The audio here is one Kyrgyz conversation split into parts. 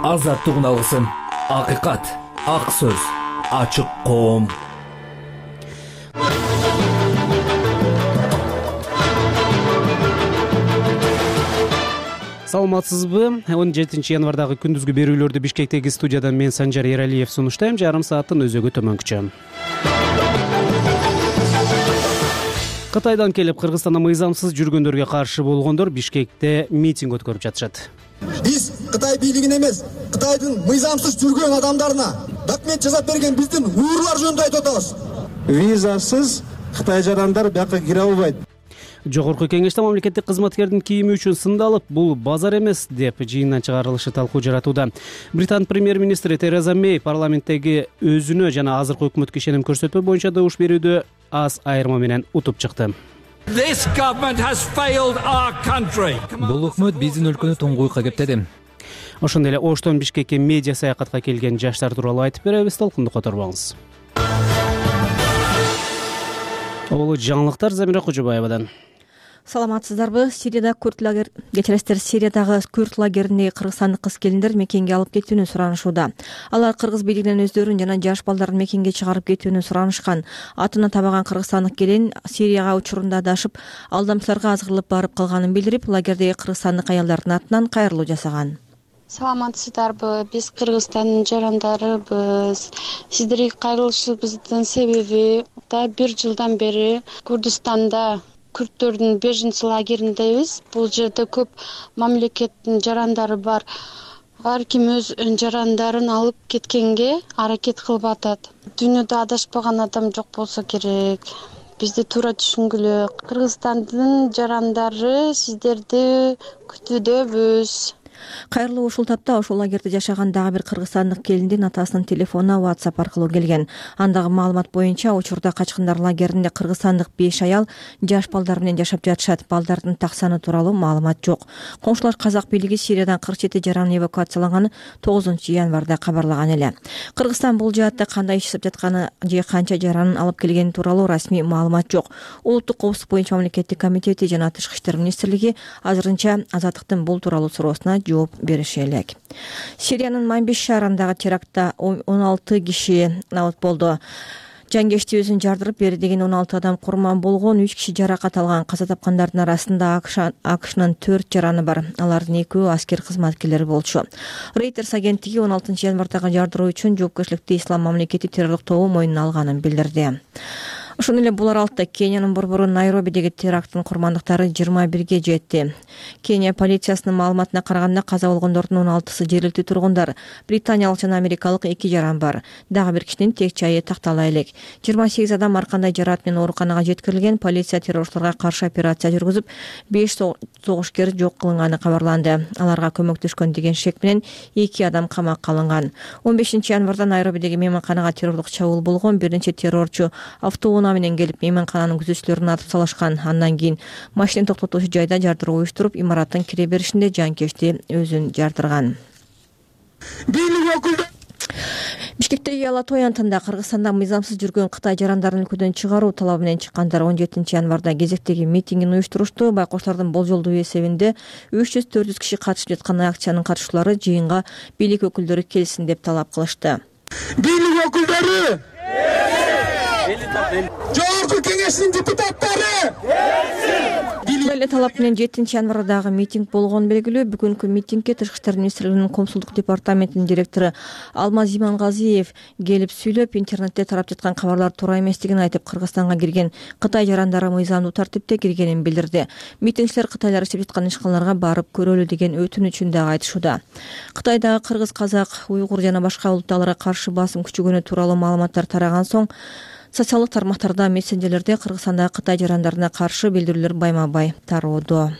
азаттыгын алгысың. Акыйкат, ак сөз, ачык коом. Саламатсызбы? 17 январдагы күндүзгү берүүлөрдү Бишкектеги студиядан мен Санжар Эралиев сунуштайм. Жарым сааттын өзөгү төмөнкүчө. Кытайдан келип Кыргызстанда мыйзамсыз жүргөндөргө каршы болгондор Бишкекте митинг өткөрүп жатышат. Биз Кытай бийлигине эмес, Кытайдын мыйзамсыз жүргөн адамдарына документ жасап берген биздин уйгурлар жөнүндө айтып атабыз. Визасыз Кытай жарандар бияка кире албайт. Жогорку кеңеште мамлекеттик кызматкердин кийими үчүн сындалып, бул базар эмес деп жыйындан чыгарылышы талкуу жаратууда. Британ премьер-министри Тереза Мэй парламенттеги өзүнө жана азыркы өкмөткө ишеним көрсөтпөө боюнча добуш берүүдө аз айырма менен утуп чыкты. Бул өкмөт биздин өлкөнү туңгуйка кептеди. Ошондой эле Оштон Бишкекке медиа саякатка келген жаштар тууралуу айтып беребиз, талкунду которбоңуз. Олу жаңылыктар Замира Кожобаевадан. Саламатсыздарбы? Сириядагы күрд лагериндеги кыргызстандык кыз-келиндер мекенге алып кетүүнү суранышууда. Алар кыргыз бийлигинен өздөрүн жана жаш балдарын мекенге чыгарып кетүүнү суранышкан. Атына табаган кыргызстандык келин Сирияга учурунда адашып, алдамчыларга азгырылып барып калганын билдирип, лагердеги кыргызстандык аялдардын атынан кайрылуу жасаган. Саламатсыздарбы? Биз Кыргызстандын жарандарыбыз. Сиздерге кайрылышыбыздын себеби да 1 жылдан бери Курдистанда күрдтөрдүн беженцы лагериндебиз. Бул жерде көп мамлекеттин жарандары бар. Ар ким өз жарандарын алып кеткенге аракет кылып атат. Дүйнөдө адашпаган адам жок болсо керек. Бизди туура түшүнгүлө. Кыргызстандын жарандары сиздерди күтүүдөбүз. Кайрылуу ушул тапта ошол лагерде жашаган дагы бир кыргызстандык келиндин атасынын телефонуна WhatsApp аркылуу келген. Андагы маалымат боюнча учурда качкындар лагеринде кыргызстандык 5 аял жаш балдар менен жашап жатышат. Балдардын так саны тууралуу маалымат жок. Коңшулар казак бийлиги Сириядан 47 жараны эвакуацияланганын 9 январда кабарлаган эле. Кыргызстан бул жаатта кандай иш жасап жатканы же канча жаранын алып келгени тууралуу расмий маалымат жок. Улуттук коопсуздук боюнча мамлекеттик комитети жана Тышкы иштер министрлиги азырынча Азаттыктын бул тууралуу суроосуна жооп бериши элек. Сириянын Манбиш шаарындагы терактта 16 киши абот болду. Жангечти өзүн жардырып бери деген 16 адам курман болгон, 3 киши жаракат алган. Каза тапкандардын арасында АКШнын 4 жараны бар. Алардын 2 аскер кызматкерлери болчу. Reuters агенттиги 16 январдагы жардыруу үчүн жоопкерчиликти Ислам мамлекети террорлук тобу мойнуна алганын билдирди. Ошондой эле бул аралыкта Кениянын борбору Найробидеги теракттын курмандыктары 21ге жетти. Кения полициясынын маалыматына караганда каза болгондордун 16сы жергиликтүү тургундар. Британиялык жана америкалык 2 жаран бар. Дагы бир кишинин тек жайы тактала элек. 28 адам ар кандай жараат менен ооруканага жеткирилген. Полиция террорчуларга каршы операция жүргүзүп, 5 согушкер жок кылынганы кабарланды. Аларга көмөктөшкөн деген шек менен 2 адам камакка алынган. 15 январда Найробидеги мейманканага террорлук чабуул болгон. Бир нече террорчу автоунаа менен келип мейманкананын күзөтчүлөрүн атып салышкан. Андан кийин машина токтотуучу жайда жардыруу уюштуруп, имараттын кире беришинде жанкечти өзүн жардырган. Бишкектеги Ала-Той антында Кыргызстанда мыйзамсыз жүргөн Кытай жарандарын өлкөдөн чыгаруу талабы менен чыккандар 17 январда кезектеги митингин уюштурушту. Байкоштардын болжолдуу эсебинде 300-400 киши катышып жаткан акциянын катышуулары жыйынга бийлик өкүлдөрү келсин деп талап кылышты. Бийлик өкүлдөрү! Жогорку кеңештин депутаттары! Эле талап менен 7 январдагы митинг болгону белгилүү. Бүгүнкү митингге Тышкы иштер министрлигинин коомчулдук департаментинин директору Алмаз Имангазиев келип сүйлөп, интернетте тарап жаткан кабарлар туура эместигин айтып, Кыргызстанга кирген Кытай жарандары мыйзамдуу тартипте киргенин билдирди. Митингчилер кытайлар иштеп жаткан ишканаларга барып көрөлү деген өтүнүчүн дагы айтышууда. Кытайдагы кыргыз, казак, уйгур жана башка улуттагыларга каршы басым күчөгөнү тууралуу маалыматтар тараган соң социалдык тармактарда, мессенджерлерде Кыргызстандагы Кытай жарандарына каршы билдирүүлөр байма-бай тароодо.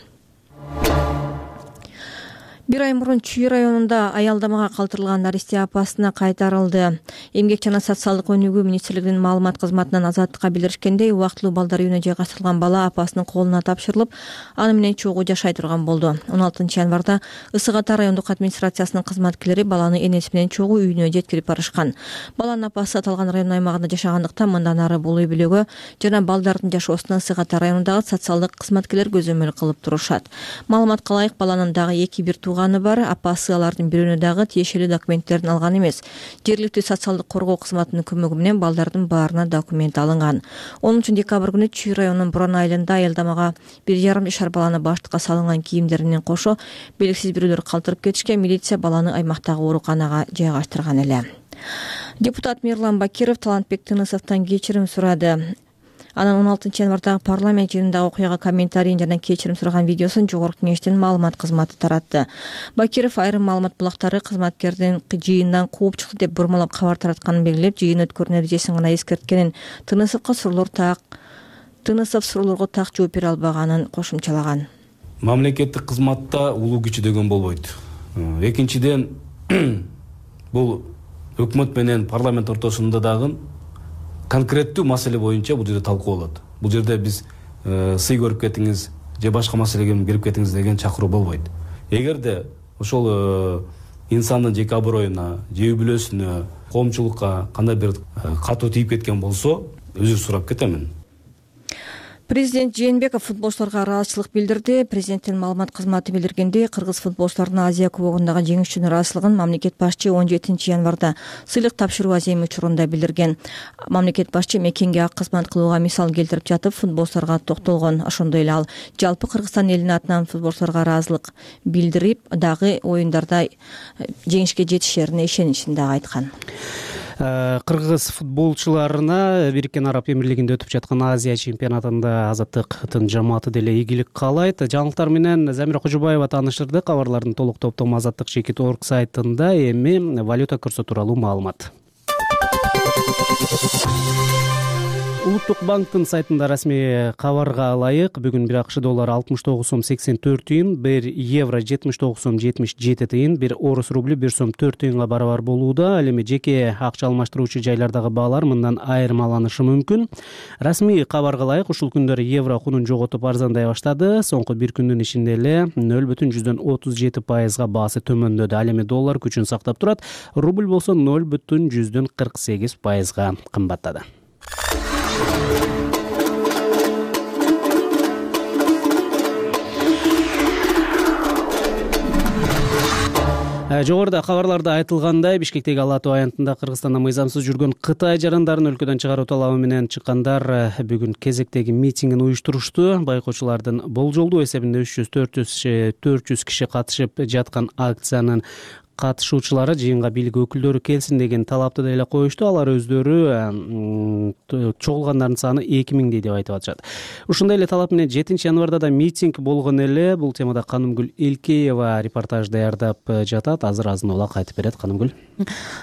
Бир ай мурун Чүй районунда аялдамага калтырылган Наристе апасына кайтарылды. Эмгек жана социалдык өнүгүү министрлигинин маалымат кызматынан Азаттыкка билдиришкендей, убактылуу балдар үйүнө жайгаштырылган бала апасынын колуна тапшырылып, аны менен чогуу жашай турган болду. 16 январда Ысык Ата райондук администрациясынын кызматкерлери баланы энеси менен чогуу үйүнө жеткирип барышкан. Баланын апасы аталган район аймагында жашагандыктан мындан ары бул үй бүлөгө жана балдардын жашоосуна Ысык Ата районундагы социалдык кызматкерлер көзөмөл кылып турушат. Маалыматка ылайык, баланын дагы 2 бир тууганы бар апасы алардын бирөөнө дагы тиешелүү документтерин алган эмес. Жергиликтүү социалдык коргоо кызматынын көмөгү менен балдардын баарына документ алынган. 10 декабрь күнү Чүй районунун Буран айылында аялдамага 1,5 жашар баланы баштыкка салынган кийимдери менен кошо белгисиз бирөөлөр калтырып кетишкен. Милиция баланы аймактагы ооруканага жайгаштырган эле. Депутат Мирлан Бакиров Талантбек Тынысовдон кечирим сурады. Анан 16 январдагы парламент жыйынындагы окуяга комментарийин жана кечирим сураган видеосун Жогорку Кеңештин маалымат кызматы таратты. Бакиров айрым маалымат булактары кызматкердин жыйындан кууп чыкты деп бурмалап кабар таратканын белгилеп, жыйын өткөрүү нәтижесин гана эскерткенин, Тынысов суроолорго так жооп бере албаганын кошумчалаган. Мамлекеттик кызматта улуу кичи деген болбойт. Экинчиден, бул өкмөт менен парламент ортосунда дагы конкреттүү маселе боюнча бул жерде талкууланат. Бул жерде биз сый көрүп кетиңиз же башка маселеге кирип кетиңиз деген чакыруу болбойт. Эгерде ошол инсандын жеке аброюна, же үй бүлөсүнө, коомчулукка кандай бир катуу тийип кеткен болсо, өзүр сурап кетемин. Президент Жээнбеков футболчуларга ыраазычылык билдирди. Президенттин маалымат кызматы билдиргендей, кыргыз футболчуларынын Азия кубогундагы жеңиш үчүн ыраазычылыгын мамлекет башчы 17 январда сыйлык тапшыруу аземи учурунда билдирген. Мамлекет башчы мекенге ак кызмат кылууга мисал келтирип жатып, футболчуларга токтолгон. Ошондой эле ал жалпы Кыргызстан элинин атынан футболчуларга ыраазычылык билдирип, дагы оюндарда жеңишке жетишерине ишеничин дагы айткан. Кыргыз футболчуларына Бириккен Араб Эмирлигинде өтүп жаткан Азия чемпионатында Азаттыктын жамааты деле ийгилик каалайт. Жаңылыктар менен Замира Кожобаева таанышырды. Кабарлардын толук топтому Азаттык.org сайтында. Эми валюта курсу тууралуу маалымат. Улуттук банктын сайтында расмий кабарга ылайык, бүгүн бир АКШ доллары 69 сом 84 тыйын, 1 евро 79 сом 77 тыйын, 1 орус рубль 1 сом 4 тыйынга барабар болууда. Ал эми жеке акча алмаштыруучу жайлардагы баалар мындан айырмаланышы мүмкүн. Расмий кабарга ылайык, ушул күндөрү евро кунун жоготуп арзандай баштады. Соңку бир күндүн ичинде эле 0,37% баасы төмөндөдү. Ал эми доллар күчүн сактап турат. Рубль болсо 0,48% кымбаттады. Жогоруда кабарларда айтылгандай, Бишкектеги Ала Тоо аянтында Кыргызстанда мыйзамсыз жүргөн Кытай жарандарын өлкөдөн чыгаруу талабы менен чыккандар бүгүн кезектеги митингин уюштурушту. Байкоочулардын болжолдуу эсебинде 300-400 киши катышып жаткан акциянын катышуучулары жыйынга бийлик өкүлдөрү келсин деген талапты деле коюшту. Алар өздөрү чогулгандардын саны 2000 деп айтып атышат. Ушундай эле талап менен 7 январда да митинг болгон эле. Бул темада Канымгүл Элкеева репортаж даярдап жатат. Азыр азын-улак айтып берет. Канымгүл.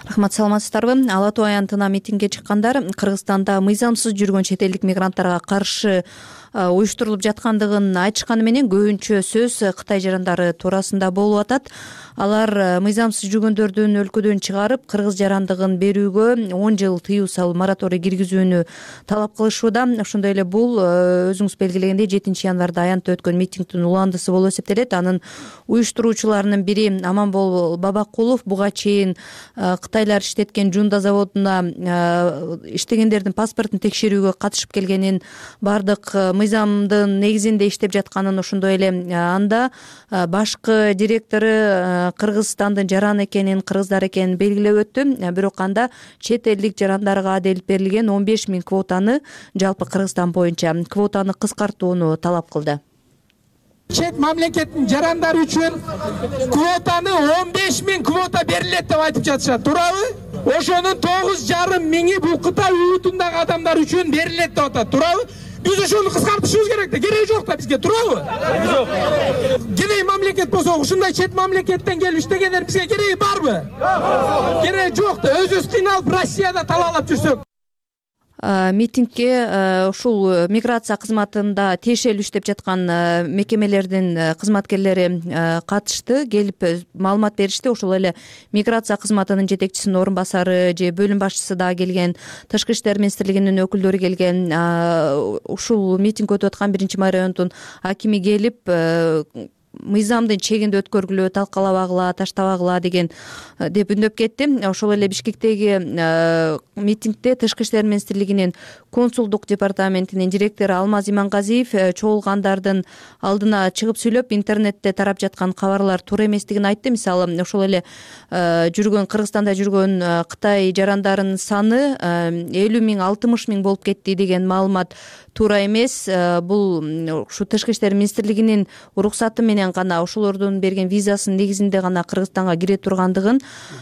Рахмат, саламатсыздарбы? Ала Тоо аянтына митингге чыккандар Кыргызстанда мыйзамсыз жүргөн чет элдик мигранттарга каршы уюштурулуп жаткандыгын айтышканы менен көбүнчө сөз Кытай жарандары туурасында болуп атат. Алар мыйзамсыз жүргөндөрдүн өлкөдөн чыгарып, кыргыз жарандыгын берүүгө 10 жыл тыюу салуу мораторий киргизүүнү талап кылышууда. Ошондой эле бул өзүңүз белгилегендей 7 январда аянтта өткөн митингдин уландысы болуп эсептелет. Анын уюштуруучуларынын бири Аманбол Бабакулов буга чейин Кытайлар иштеткен Жунда заводуна иштегендердин паспортун текшерүүгө катышып келгенин, бардык мыйзамдын негизинде иштеп жатканын, ошондой эле анда башкы директору Кыргызстандын жараны экенин, кыргыздар экенин белгилеп өттү. Бирок анда чет элдик жарандарга делип берилген 15 000 квотаны жалпы Кыргызстан боюнча квотаны кыскартууну талап кылды. Чет мамлекеттин жарандары үчүн квотаны 15 000 квота берилет деп айтып жатышат. Туурабы? Ошонун 9,5 миңи бул Кытай улутундагы адамдар үчүн берилет деп атат. Туурабы? Биз ошону кыскартышыбыз керек да, кереги жок да бизге, туурабы? Кереги мамлекет болсо, ушундай чет мамлекеттен келип иштегендер бизге кереги барбы? Кереги жок да, өзүбүз кыйналып Россияда талаалап жүрсөк. Митингге ушул миграция кызматында тиешелүү иштеп жаткан мекемелердин кызматкерлери катышты, келип маалымат беришти. Ошол эле миграция кызматынын жетекчисинин орун басары же бөлүм башчысы да келген, Тышкы иштер министрлигинин өкүлдөрү келген. Ушул митинг өтүп аткан 1-Май районунун акими келип мыйзамдын чегинде өткөргүлө, талкалабагыла, таштабагыла деп үндөп кетти. Ошол эле Бишкектеги митингде Тышкы иштер министрлигинин консулдук департаментинин директору Алмаз Имангазиев чогулгандардын алдына чыгып сүйлөп, интернетте тарап жаткан кабарлар туура эместигин айтты. Мисалы, ошол эле Кыргызстанда жүргөн Кытай жарандарынын саны 50 миң, 60 миң болуп кетти деген маалымат туура эмес. Бул ушу Тышкы иштер министрлигинин уруксаты менен гана, ошолордун берген визасынын негизинде гана Кыргызстанга кире тургандыгын,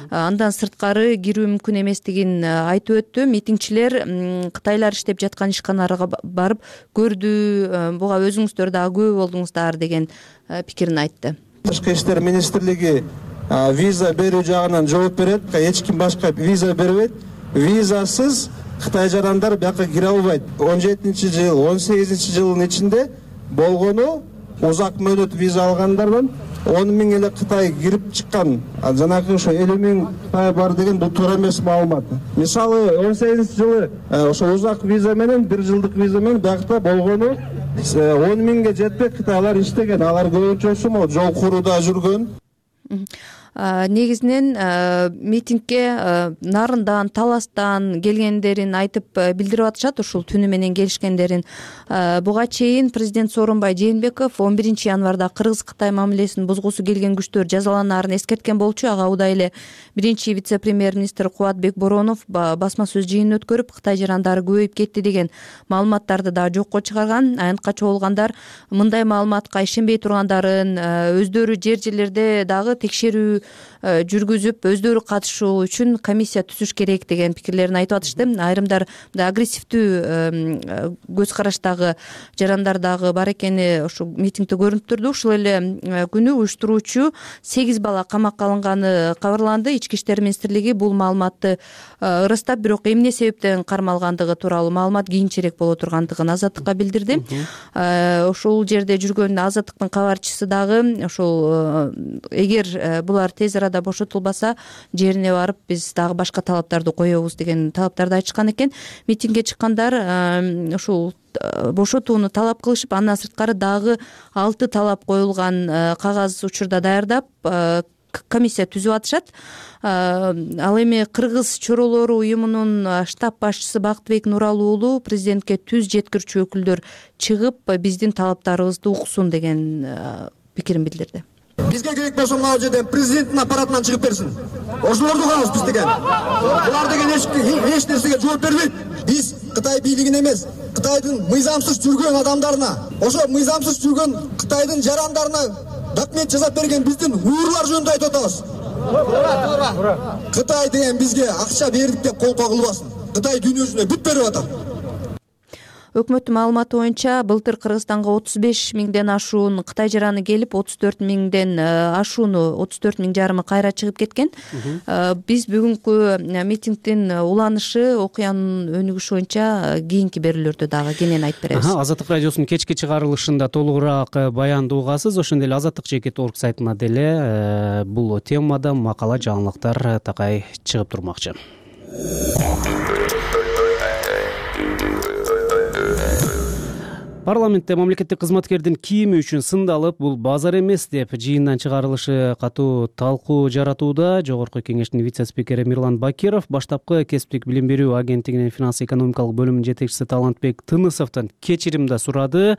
андан сырткары кирүү мүмкүн эместигин айтып өттү. Митингчилер кытайлар иштеп жаткан ишканаларга барып көрдү, буга өзүңүздөр дагы күбө болдуңуздар деген пикирин айтты. Тышкы иштер министрлиги виза берүү жагынан жооп берет, эч ким башка виза бербейт. Визасыз Кытай жарандар бияка кире албайт. 17-жыл, 18-жылдын ичинде болгону узак мөөнөт виза алгандардан 10 миң эле Кытай кирип чыккан. Жанагы ошо 50 миң Кытай бар деген бул туура эмес маалымат. Мисалы 18-жылы ошо узак виза менен 1 жылдык виза менен биякта болгону 10 миңге жетпей Кытайлар иштеген. Алар көбүнчөсү могу жол курууда жүргөн. Негизинен митингге Нарындан, Таластан келгендерин айтып билдирип атышат, ушул түнү менен келишкендерин. Буга чейин президент Сооронбай Жээнбеков 11 январда Кыргыз-Кытай мамилесин бузгусу келген күчтөр жазаланаарын эскерткен болчу. Ага удай эле биринчи вице-премьер-министр Кубатбек Боронов басма сөз жыйынын өткөрүп, Кытай жарандары көбөйүп кетти деген маалыматтарды да жокко чыгарган. Аянтка чогулгандар мындай маалыматка ишенбей тургандарын, өздөрү жерлерде дагы текшерүү жүргүзүп, өздөрү катышуу үчүн комиссия түзүш керек деген пикирлерин айтып атышты. Айрымдар агрессивдүү көз караштагы жарандар дагы бар экени ушу митингде көрүнүп турду. Ушул эле күнү уюштуруучу 8 бала камакка алынганы кабарланды. Ички иштер министрлиги бул маалыматты ырастап, бирок эмне себептен кармалгандыгы тууралуу маалымат кийинчерээк боло тургандыгын Азаттыкка билдирди. Ошол жерде жүргөн Азаттыктын кабарчысы дагы ошол эгер булар тез арада бошотулбаса, жерине барып биз дагы башка талаптарды коебуз деген талаптарды айтышкан экен. Митингге чыккандар ушул бошотууну талап кылышып, андан сырткары дагы 6 талап коюлган кагаз учурда даярдап комиссия түзүп атышат. Ал эми Кыргыз чоролору уюмунун штаб башчысы Бактыбек Нуралы уулу президентке түз жеткирүүчү өкүлдөр чыгып, биздин талаптарыбызды уксун деген пикирин билдирди. Бизге керек болсо мына жерден президенттин аппаратынан чыгып берсин. Ошолорду кылабыз биз деген. Булар деген эч нерсеге жооп бербейт. Биз Кытай бийлигине эмес, Кытайдын мыйзамсыз жүргөн адамдарына, ошо мыйзамсыз жүргөн Кытайдын жарандарына документ жасап берген биздин уюрлар жөнүндө айтып атабыз. Кытай деген бизге акча бердик деп кол кагылбасын. Кытай дүйнөсүнө бүт берип атат. Өкмөттүн маалыматы боюнча былтыр Кыргызстанга 35 миңден ашуун Кытай жараны келип, 34 миңден ашууну 34 миң жарымы кайра чыгып кеткен. Биз бүгүнкү митингдин уланышы, окуянын өнүгүшү боюнча кийинки берүүлөрдө дагы кенен айтып беребиз. Азаттык радиосунун кечки чыгарылышында толугураак баянды угасыз. Ошондой эле Азаттык.org сайтына деле бул темада макала, жаңылыктар такай чыгып турмакчы. Парламентте мамлекеттик кызматкердин кийими үчүн сындалып, бул базар эмес деп жыйындан чыгарылышы катуу талкуу жаратууда. Жогорку кеңештин вице-спикери Мирлан Бакиров баштапкы кесиптик билим берүү агенттигинин финанс-экономикалык бөлүмүнүн жетекчиси Талантбек Тынысовдон кечирим да сурады.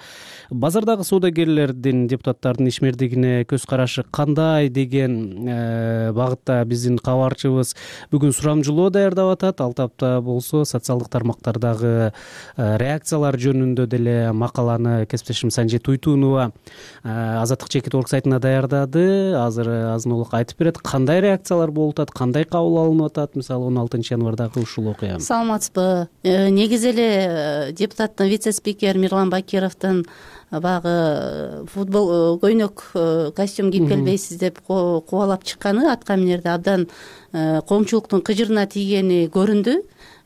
Базардагы соодагерлердин, депутаттардын ишмердигине көз карашы кандай деген багытта биздин кабарчыбыз бүгүн сурамжылоо даярдап атат. Ал тапта болсо социалдык тармактардагы реакциялар жөнүндө деле макаланы кесиптешим Санжи Туйтунова Азаттык.org сайтына даярдады. Азыр азын-улак айтып берет, кандай реакциялар болуп атат, кандай кабыл алынып атат, мисалы 16 январдагы ушул окуя. Саламатсызбы. Негизи эле депутаттын вице-спикер Мирлан Бакировдун баягы футбол көйнөк костюм кийип келбейсиз деп кубалап чыкканы атка минерде абдан коомчулуктун кыжырына тийгени көрүндү.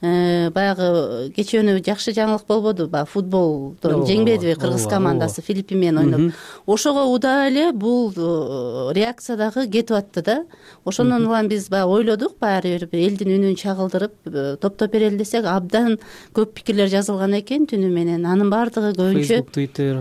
Баягы кечөөнү жакшы жаңылык болбоду, баягы футболдон жеңбедиби Кыргыз командасы Филиппин менен ойноп. Ошого удаа эле бул реакция дагы кетип атты да. Ошондон улам биз баягы ойлодук, баары бир элдин үнүн чагылдырып топтоп берели десек, абдан көп пикирлер жазылган экен түнү менен. Анын баардыгы көбүнчө Facebook, Twitter.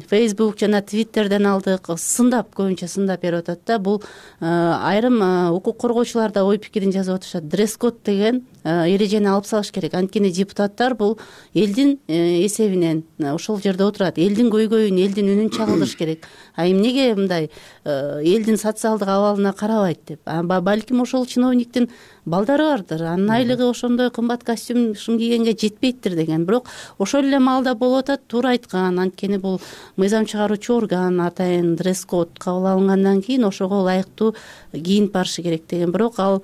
Facebook жана Twitterден алдык, сындап, көбүнчө сындап берип атат да. Бул айрым укук коргоочулар да ой пикирин жазып атышат. Дресс-код деген эрежени алып салыш керек. Анткени депутаттар бул элдин эсебинен ошол жерде отурат. Элдин көйгөйүн, элдин үнүн чагылдырыш керек. А эмнеге мындай элдин социалдык абалына карабайт деп? Балким ошол чиновниктин балдары бардыр. Анын айлыгы ошондой кымбат костюм кийгенге жетпейттир деген. Бирок ошол эле маалда болуп атат, туура айткан. Анткени бул мыйзам чыгаруучу орган, атайын дресс-код кабыл алынгандан кийин ошого ылайыктуу кийинип барышы керек деген. Бирок ал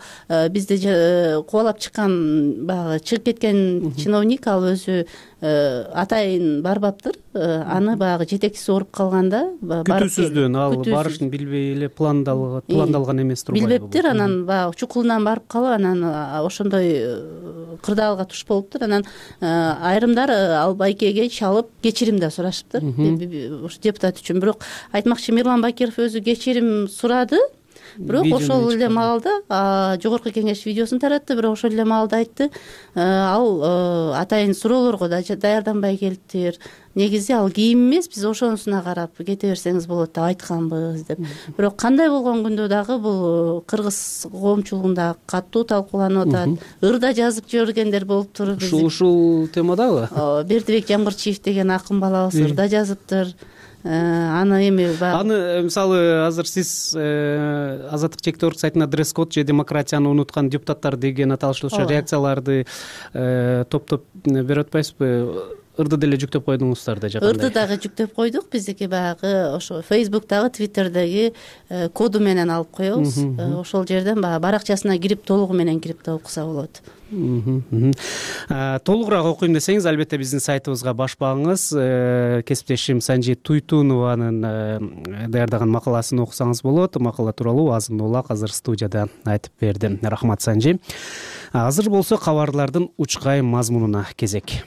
бизде кубалап чыккан, баягы чыгып кеткен чиновник, ал өзү атайын барбаптыр. Аны баягы жетекчиси ооруп калганда күтүүсүздөн ал барышын билбей эле пландалган эмес турбайбы? Билбептир. Анан баягы чукулунан барып калып, анан ошондой кырдаалга туш болуптур. Анан айрымдар ал байкеге чалып кечирим да сурашыптыр депутат үчүн. Бирок айтмакчы, Мирлан Бакиров өзү кечирим сурады. Бирок ошол эле маалда жогорку кеңеш видеосун таратты. Бирок ошол эле маалда айтты, ал атайын суроолорго да даярданбай келиптир. Негизи ал кийим эмес, биз ошонусуна карап кете берсеңиз болот деп айтканбыз деп. Бирок кандай болгон күндө дагы бул кыргыз коомчулугунда катуу талкууланып атат. Ырда жазып жибергендер болуптур. Ушул темадабы? Бердибек Жамгырчиев деген акын балабыз ырда жазыптыр. Аны эми аны мисалы азыр сиз Азаттык чектөөлүк сайтына дресс-код же демократияны унуткан депутаттар деген аталыштуу реакцияларды топтоп берип атпайсызбы? Ырды деле жүктөп койдуңуздар да жакында. Ырды дагы жүктөп койдук. Биздики баягы ошо Facebook'тагы, Twitter'деги коду менен алып коебуз. Ошол жерден баягы баракчасына кирип, толугу менен кирип да окуса болот. Толугураак окуйм десеңиз, албетте биздин сайтыбызга баш багыңыз. Кесиптешим Санжи Туйтунованын даярдаган макаласын окусаңыз болот. Макала тууралуу азын улак азыр студияда айтып берди. Рахмат, Санжи. Азыр болсо кабарлардын учкай мазмунуна кезек.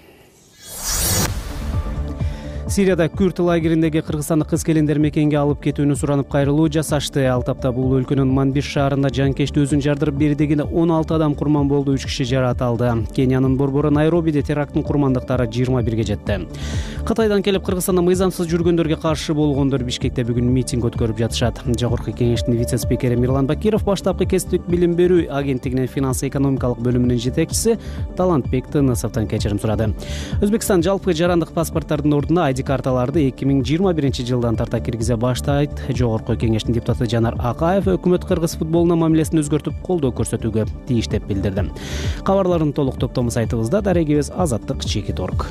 Сирияда күрд лагериндеги кыргызстандык кыз-келиндер мекенге алып кетүүнү суранып кайрылуу жасашты. Ал тапта бул өлкөнүн Манбиш шаарында жанкечти өзүн жардырып бердигине 16 адам курман болду, 3 киши жараталды. Кениянын борбору Найробиде теракттын курмандыктары 21-ге жетти. Кытайдан келип Кыргызстанда мыйзамсыз жүргөндөргө каршы болгондор Бишкекте бүгүн митинг өткөрүп жатышат. Жогорку кеңештин вице-спикери Мирлан Бакиров, баштапкы кесиптик билим берүү агенттигинин финанс-экономикалык бөлүмүнүн жетекчиси Талантбек Тынысовдон кечирим сурады. Өзбекстан жалпы жарандык паспорттардын ордуна карталарды 2021-жылдан тарта киргизе баштайт. Жогорку кеңештин депутаты Жанар Акаев өкмөт кыргыз футболуна мамилесин өзгөртүп колдоо көрсөтүүгө тийиш деп билдирди. Кабарлардын толук топтому сайтыбызда, дарегибиз azattik.org.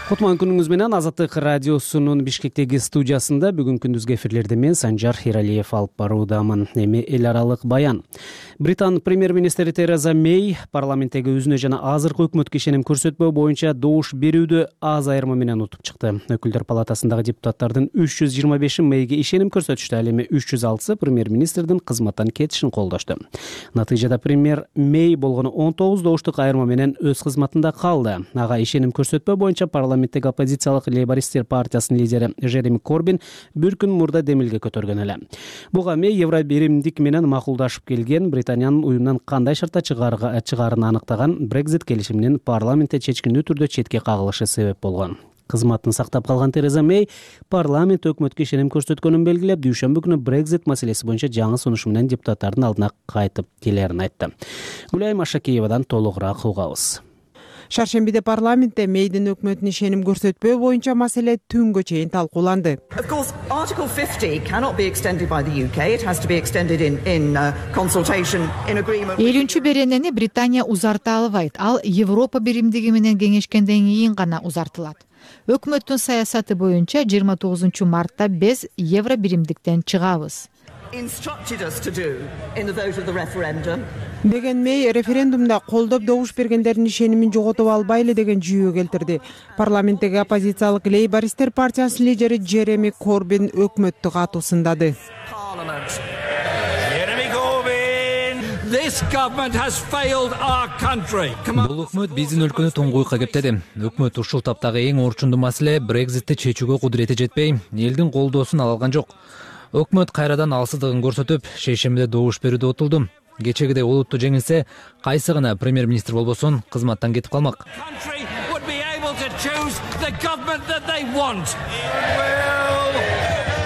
Кутман күнүңүз менен. Азаттык радиосунун Бишкектеги студиясында бүгүн күндүзгү эфирлерди мен Санжар Иралиев алып баруудамын. Эми эл аралык баян. Британ премьер-министри Тереза Мей парламенттеги өзүнө жана азыркы өкмөткө ишеним көрсөтпөө боюнча добуш берүүдө аз айырма менен утуп чыкты. Өкүлдөр палатасындагы депутаттардын 325 Мейге ишеним көрсөтүштү. Ал эми 306 премьер-министрдин кызматтан кетишин колдошту. Натыйжада премьер Мей болгону 19 добуштук айырма менен өз кызматында калды. Ага ишеним көрсөтпөө боюнча парламенттеги оппозициялык Лейбористтер партиясынын лидери Жереми Корбин бир күн мурда демилге көтөргөн эле. Буга Мей Евробиримдик менен макулдашып келген Британиянын уюмдан кандай шартта чыгаарын аныктаган Brexit келишиминин парламентте чечкиндүү түрдө четке кагылышы себеп болгон. Кызматын сактап калган Тереза Мей парламент өкмөткө ишеним көрсөткөнүн белгилеп, дүйшөмбү күнү Brexit маселеси боюнча жаңы сунуш менен депутаттардын алдына кайтып келерин айтты. Гүлайым Ашакиевадан толугураак угабыз. Шаршембиде парламентте Мейдин өкмөтүнө ишеним көрсөтпөө боюнча маселе түнгө чейин талкууланды. Article 50 cannot be extended by the UK. It has to be extended in consultation in agreement. 50 беренени Британия узарта албайт. Ал Европа биримдиги менен кеңешкенден кийин гана узартылат. Өкмөттүн саясаты боюнча 29 мартта биз евро биримдиктен чыгабыз. Instructed us to do in the vote of the referendum. Деген Мей референдумда колдоп добуш бергендердин ишенимин жоготуп албайлы деген жүйө келтирди. Парламенттеги оппозициялык Лейбористтер партиясынын лидери Жереми Корбин өкмөттү катуу сындады. Бул өкмөт биздин өлкөнү туңгуйка кептеди. Өкмөт ушул таптагы эң орчундуу маселе Brexit'ти чечүүгө кудурети жетпей, элдин колдоосун ала алган жок. Өкмөт кайрадан алсыздыгын көрсөтүп, шейшембиде добуш берүүдө отулду. Кечегидей олуттуу жеңилсе, кайсы гана премьер-министр болбосун, кызматтан кетип калмак. choose the government that they want.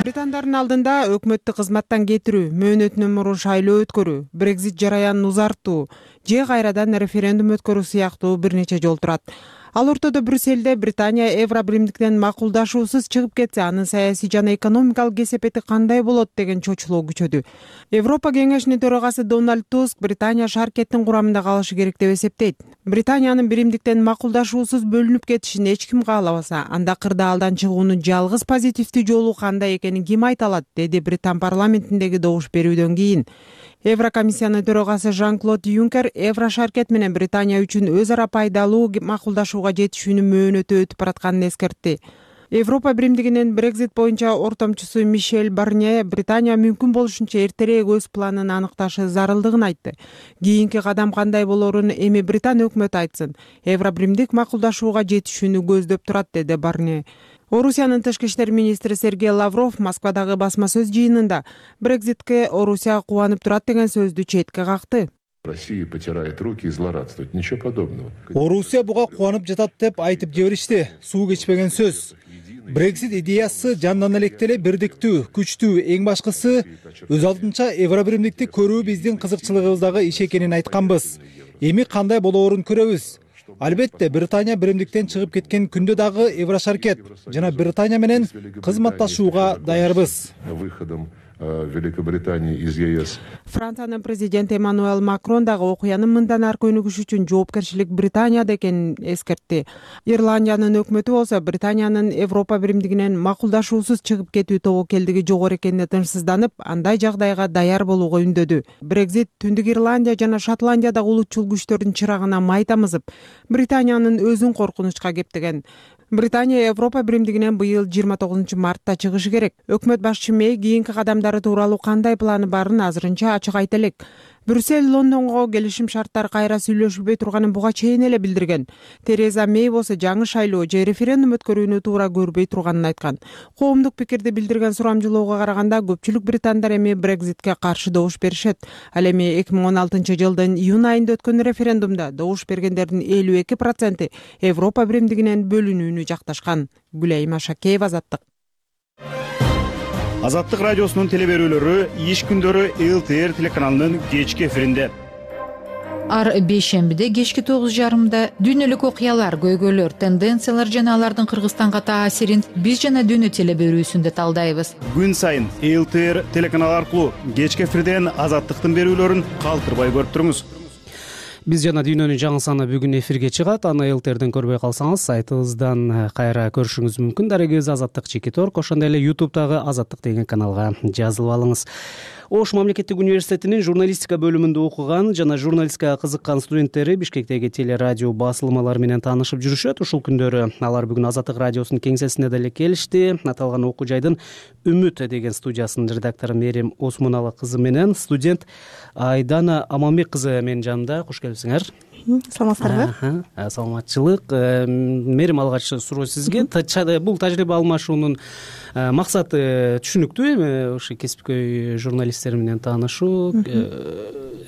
Британдардын алдында өкмөттү кызматтан кетирүү, мөөнөтүнөн мурун шайлоо өткөрүү, Brexit жараянын узартуу же кайрадан референдум өткөрүү сыяктуу бир нече жол турат. Ал ортодо Брюсселде Британия Евро биримдиктен макулдашуусуз чыгып кетсе, анын саясий жана экономикалык кесепети кандай болот деген чочулоо күчөдү. Европа кеңешинин төрагасы Дональд Туск Британия шаркеттин курамында калышы керек деп эсептейт. Британиянын биримдиктен макулдашуусуз бөлүнүп кетишин эч ким каалабаса, анда кырдаалдан чыгуунун жалгыз позитивдүү жолу кандай экенин ким айта алат, деди Британ парламентиндеги добуш берүүдөн кийин. Еврокомиссиянын төрагасы Жан-Клод Юнкер Евро шаркет менен Британия үчүн өз ара пайдалуу макулдашууга жетишүүнүн мөөнөтү өтүп баратканын эскертти. Европа биримдигинин Brexit боюнча ортомчусу Мишель Барнье Британия мүмкүн болушунча эртерээк өз планын аныкташы зарылдыгын айтты. Кийинки кадам кандай болорун эми Британ өкмөтү айтсын. Евро биримдик макулдашууга жетишүүнү көздөп турат, деди Барнье. Орусиянын тышкы иштер министри Сергей Лавров Москвадагы басма сөз жыйынында Брекзитке Орусия кубанып турат деген сөздү четке какты. Россия потирает руки и злорадствует. Ничего подобного. Орусия буга кубанып жатат деп айтып жиберишти. Суу кечпеген сөз. Брексит идеясы жандан электе эле бирдиктүү, күчтүү, эң башкысы өз алдынча Евро биримдикти көрүү биздин кызыкчылыгыбыздагы иш экенин айтканбыз. Эми кандай болоорун көрөбүз. Албетте, Британия биримдиктен чыгып кеткен күндө дагы Евро шаркет жана Британия менен кызматташууга даярбыз. Выходом Великобритании из ЕС. Франциянын президенти Эммануэль Макрон дагы окуянын мындан ары өнүгүш үчүн жоопкерчилик Британияда экенин эскертти. Ирландиянын өкмөтү болсо Британиянын Европа биримдигинен макулдашуусуз чыгып кетүү тобокелдиги жогору экенине тынчсызданып, андай жагдайга даяр болууга үндөдү. Brexit Түндүк Ирландия жана Шотландиядагы улутчул күчтөрдүн чырагына май тамызып, Британиянын өзүн коркунучка кептеген. Британия Европа биримдигинен быйыл 29 мартта чыгышы керек. Өкмөт башчы Мэй кийинки кадамдары тууралуу кандай планы барын азырынча ачык айта элек. Брюссель Лондонго келишим шарттар кайра сүйлөшүлбөй турганын буга чейин эле билдирген. Тереза Мэй болсо жаңы шайлоо же референдум өткөрүүнү туура көрбөй турганын айткан. Коомдук пикирди билдирген сурамжылоого караганда көпчүлүк британдар эми Брекзитке каршы добуш беришет. Ал эми 2016 жылдын июнь айында өткөн референдумда добуш бергендердин 52% Европа биримдигинен бөлүнүүнү жакташкан. Гүлайым Ашакеева, Азаттык. Азаттык радиосунун теле берүүлөрү иш күндөрү ЛТР телеканалынын кечки эфиринде. Ар бейшембиде кечки 9:30 дүйнөлүк окуялар, көйгөйлөр, тенденциялар жана алардын Кыргызстанга таасирин биз жана дүйнө теле берүүсүндө талдайбыз. Күн сайын ЛТР телеканалы аркылуу кечки эфирден Азаттыктын берүүлөрүн калтырбай көрүп туруңуз. Биз жана дүйнөнүн жаңы саны бүгүн эфирге чыгат. Аны ЛТРден көрбөй калсаңыз, сайтыбыздан кайра көрүшүңүз мүмкүн. Дарегиз Азаттык Чеки Торк, ошондой эле YouTube'дагы Азаттык деген каналга жазылып алыңыз. Ош мамлекеттик университетинин журналистика бөлүмүндө окуган жана журналистикага кызыккан студенттери Бишкектеги телерадио басылмалары менен таанышып жүрүшөт. Ушул күндөрү алар бүгүн Азаттык радиосунун кеңсесине деле келишти. Аталган окуу жайдын Үмүт деген студиясынын редактору Мерим Осмоналы кызы менен студент Айдана Аманбек кызы менин жанымда. Куш келипсиңер. Саламатсыздарбы? Саламатчылык. Мерим, алгач суроо сизге. Бул тажрыйба алмашуунун максаты түшүнүктүү эми, ошо кесипкөй журналисттер менен таанышуу.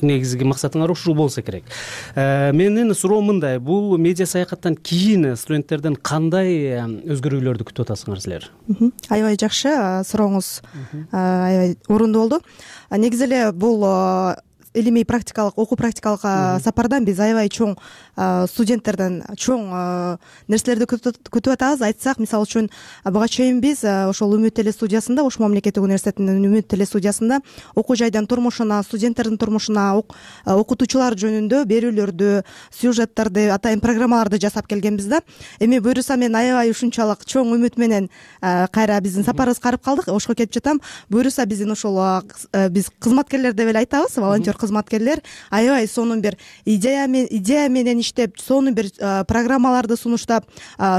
Негизги максатыңар ушул болсо керек. Менин суроом мындай: бул медиа саякаттан кийин студенттерден кандай өзгөрүүлөрдү күтүп атасыңар силер? Аябай жакшы, сурооңуз аябай орундуу болду. Негизи эле бул илимий практикалык, окуу практикалык сапардан биз аябай чоң студенттерден чоң нерселерди күтүп атабыз. Айтсак, мисалы үчүн буга чейин биз ошол Үмүт теле студиясында, Ош мамлекеттик университетинин Үмүт теле студиясында окуу жайдын турмушуна, студенттердин турмушуна, окутуучулар жөнүндө берүүлөрдү, сюжеттерди, атайын программаларды жасап келгенбиз да. Эми буюрса мен аябай ушунчалык чоң үмүт менен кайра биздин сапарыбыз карып калдык. Ошко кетип жатам. Буюрса биздин ошол биз кызматкерлер деп эле айтабыз, волонтер кызматкерлер аябай сонун бир идея менен иштеп, сонун бир программаларды сунуштап,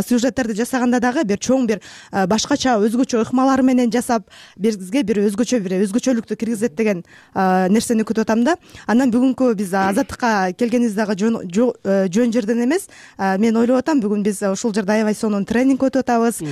сюжеттерди жасаганда дагы бир чоң бир башкача, өзгөчө ыкмалар менен жасап, бизге бир өзгөчөлүктү киргизет деген нерсени күтүп атам да. Андан бүгүнкү биз Азаттыкка келгенибиз дагы жөн жерден эмес. Мен ойлоп атам, бүгүн биз ушул жерде аябай сонун тренинг өтүп атабыз.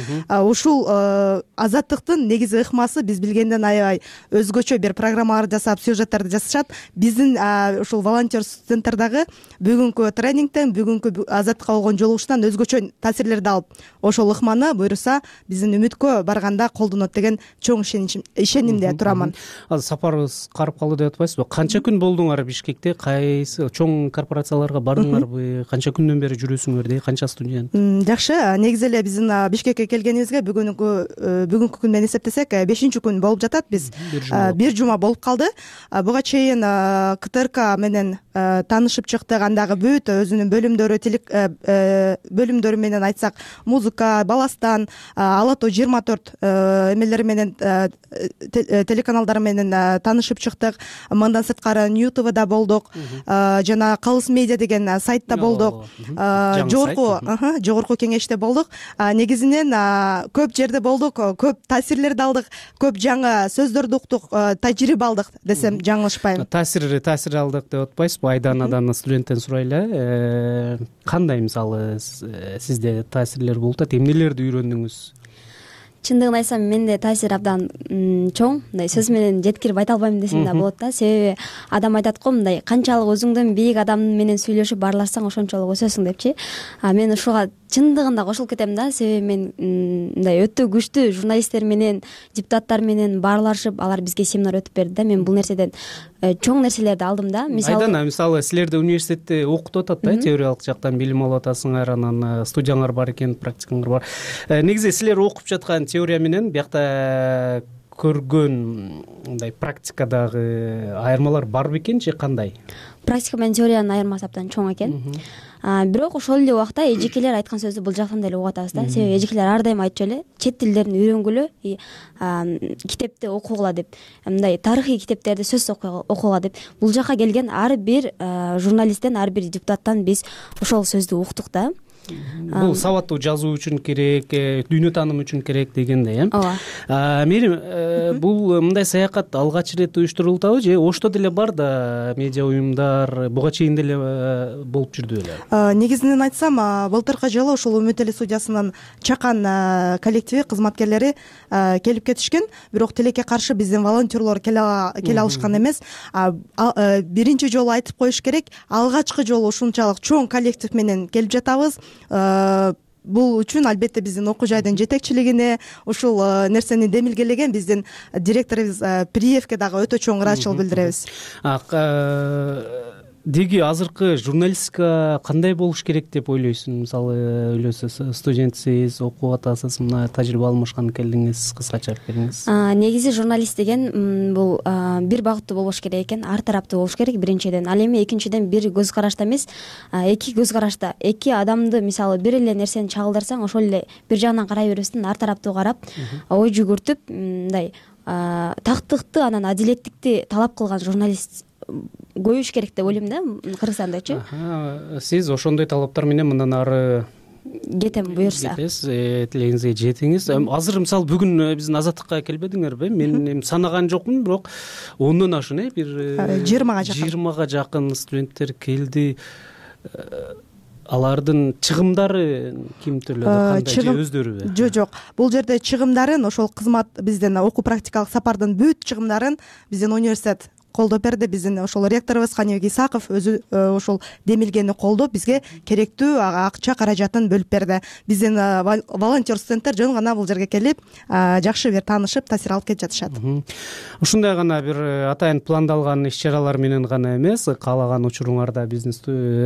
Ушул Азаттыктын негизи ыкмасы биз билгенден аябай өзгөчө бир программалар жасап, сюжеттерди жасашат. биздин ушул волонтер студенттер дагы бүгүнкү тренингден, бүгүнкү азаттыкка болгон жолугушуудан өзгөчө таасирлерди алып, ошол ыкманы буюрса биздин үмүткө барганда колдонот деген чоң ишенимде турамын. Азыр сапарыбыз карып калды деп атпайсызбы? Канча күн болдуңар Бишкекте? Кайсы чоң корпорацияларга бардыңарбы? Канча күндөн бери жүрөсүңөр? Канча студент? Жакшы. Негизи эле биздин Бишкекке келгенибизге бүгүнкү күн менен эсептесек 5-күн болуп жатат. Биз бир жума болуп калды. Буга чейин КТРК менен таанышып чыктык. Андагы бүт өзүнүн бөлүмдөрү менен айтсак, музыка, баластан, Ала Тоо 24 эмелери менен телеканалдары менен таанышып чыктык. Мындан сырткары New TVда болдук. Жана Калыс медиа деген сайтта болдук. Жогорку кеңеште болдук. Негизинен көп жерде болдук, көп таасирлерди алдык, көп жаңы сөздөрдү уктук, тажрыйба алдык десем жаңылышпайм. Таасир алдык деп атпайсызбы? Айданадан студенттен сурайлы. Кандай мисалы сизде таасирлер болуп атат? Эмнелерди үйрөндүңүз? Чындыгын айтсам, менде таасир абдан чоң. Мындай сөз менен жеткирип айта албайм десем да болот да. Себеби адам айтат го, мындай канчалык өзүңдөн бийик адам менен сүйлөшүп баарлашсаң ошончолук өсөсүң депчи. Мен ушуга чындыгында кошулуп кетем да. Себеби мен мындай өтө күчтүү журналисттер менен, депутаттар менен баарлашып, алар бизге семинар өтүп берди да. Мен бул нерседен чоң нерселерди алдым да. Мисалы силерде университетте окутуп атат да, теориялык жактан билим алып атасыңар, анан студияңар бар экен, практикаңар бар. Негизи силер окуп жаткан теория менен биякта көргөн мындай практикадагы айырмалар барбы экен же кандай? Практика менен теориянын айырмасы абдан чоң экен. Бирок ошол эле убакта эжекелер айткан сөздү бул жактан деле угуп атабыз да. Себеби эжекелер ар дайым айтчу эле, чет тилдерин үйрөнгүлө, китепти окугула деп, мындай тарыхый китептерди сөзсүз окугула деп. Бул жака келген ар бир журналисттен, ар бир депутаттан биз ошол сөздү уктук да. Бул сабаттуу жазуу үчүн керек, дүйнө таанымы үчүн керек дегендей, Ооба. Мерим, бул мындай саякат алгач ирет уюштурулдабы же Ошто деле бар да медиа уюмдар буга чейин деле болуп жүрдү беле? Негизинен айтсам, былтыркы жылы ушул Үмүт Теле студиясынын чакан коллективи, кызматкерлери келип кетишкен, бирок тилекке каршы биздин волонтерлор келе алышкан эмес. Биринчи жолу айтып коюш керек, алгачкы жолу ушунчалык чоң коллектив менен келип жатабыз. Бул үчүн албетте биздин окуу жайдын жетекчилигине, ушул нерсени демилгелеген биздин директорубуз Приевке дагы өтө чоң ыраазычылык билдиребиз. Деги азыркы журналистика кандай болуш керек деп ойлойсуң? Мисалы, студентсиз, окуп атасыз, мына тажрыйба алмашкан келдиңиз, кыскача айтып бериңиз. Негизи журналист деген бул бир багыттуу болуш керек экен, ар тараптуу болуш керек биринчиден. Ал эми экинчиден бир көз карашта эмес, эки көз карашта, эки адамды мисалы бир эле нерсени чагылдырсаң, ошол эле бир жагынан карай бербестен ар тараптуу карап, ой жүгүртүп, мындай тактыкты, анан адилеттикти талап кылган журналист көбөйүш керек деп ойлойм да, Кыргызстандачы. Сиз ошондой талаптар менен мындан ары кетем буюрса. Тилегиңизге жетиңиз. Азыр мисалы бүгүн биздин азаттыкка келбедиңерби? Мен санаган жокмун, бирок 10дон ашын, бир 20га жакын студенттер келди. Алардын чыгымдары ким төлөдү, кандай же өздөрүбү? Жок. Бул жерде чыгымдарын ошол кызмат биздин окуу практикалык сапардын бүт чыгымдарын биздин университет колдоп берди. Биздин ошол ректорубуз Каныбек Исаков өзү ошол демилгени колдоп бизге керектүү акча каражатын бөлүп берди. Биздин волонтер студенттер жөн гана бул жерге келип, жакшы бир таанышып, таасир алып кетип жатышат. Ушундай гана бир атайын пландалган иш-чаралар менен гана эмес, каалаган учуруңарда биздин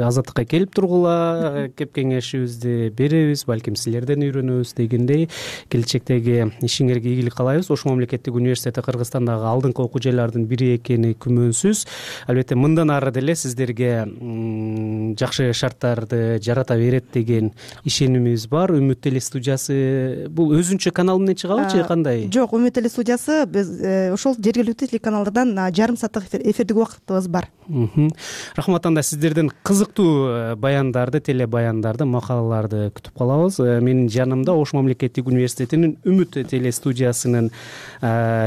азаттыкка келип тургула, кеп кеңешибизди беребиз, балким силерден үйрөнөбүз дегендей. Келечектеги ишиңерге ийгилик каалайбыз. Ош мамлекеттик университети Кыргызстандагы алдыңкы окуу жайлардын бири экени күмөнсүз. Албетте мындан ары деле сиздерге жакшы шарттарды жарата берет деген ишенимибиз бар. Үмүт Теле студиясы бул өзүнчө канал менен чыгабы же кандай? Жок, Үмүт Теле студиясы биз ошол жергиликтүү телеканалдардан жарым сааттык эфирдик убактыбыз бар. Рахмат. Анда сиздерден кызыктуу баяндарды, теле баяндарды, макалаларды күтүп калабыз. Менин жанымда Ош мамлекеттик университетинин Үмүт Теле студиясынын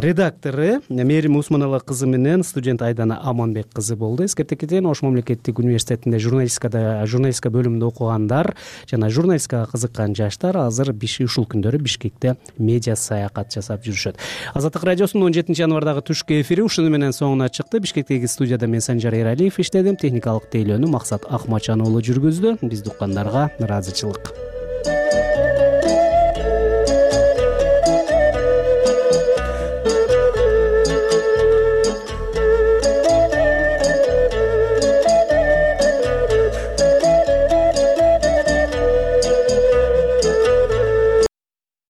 редактору Мерим Усманова кызы менен студент Айдана Аманбек кызы болду. Эскерте кетейин, Ош мамлекеттик университетинде журналистика бөлүмүндө окугандар жана журналистикага кызыккан жаштар азыр ушул күндөрү Бишкекте медиа саякат жасап жүрүшөт. Азаттык радиосунун 17 январдагы түшкү эфири ушуну менен соңуна чыкты. Бишкектеги студияда мен Санжар Эралиев иштедим. Техникалык тейлөөнү Максат Акмачан уулу жүргүздү. Бизди уккандарга ыраазычылык.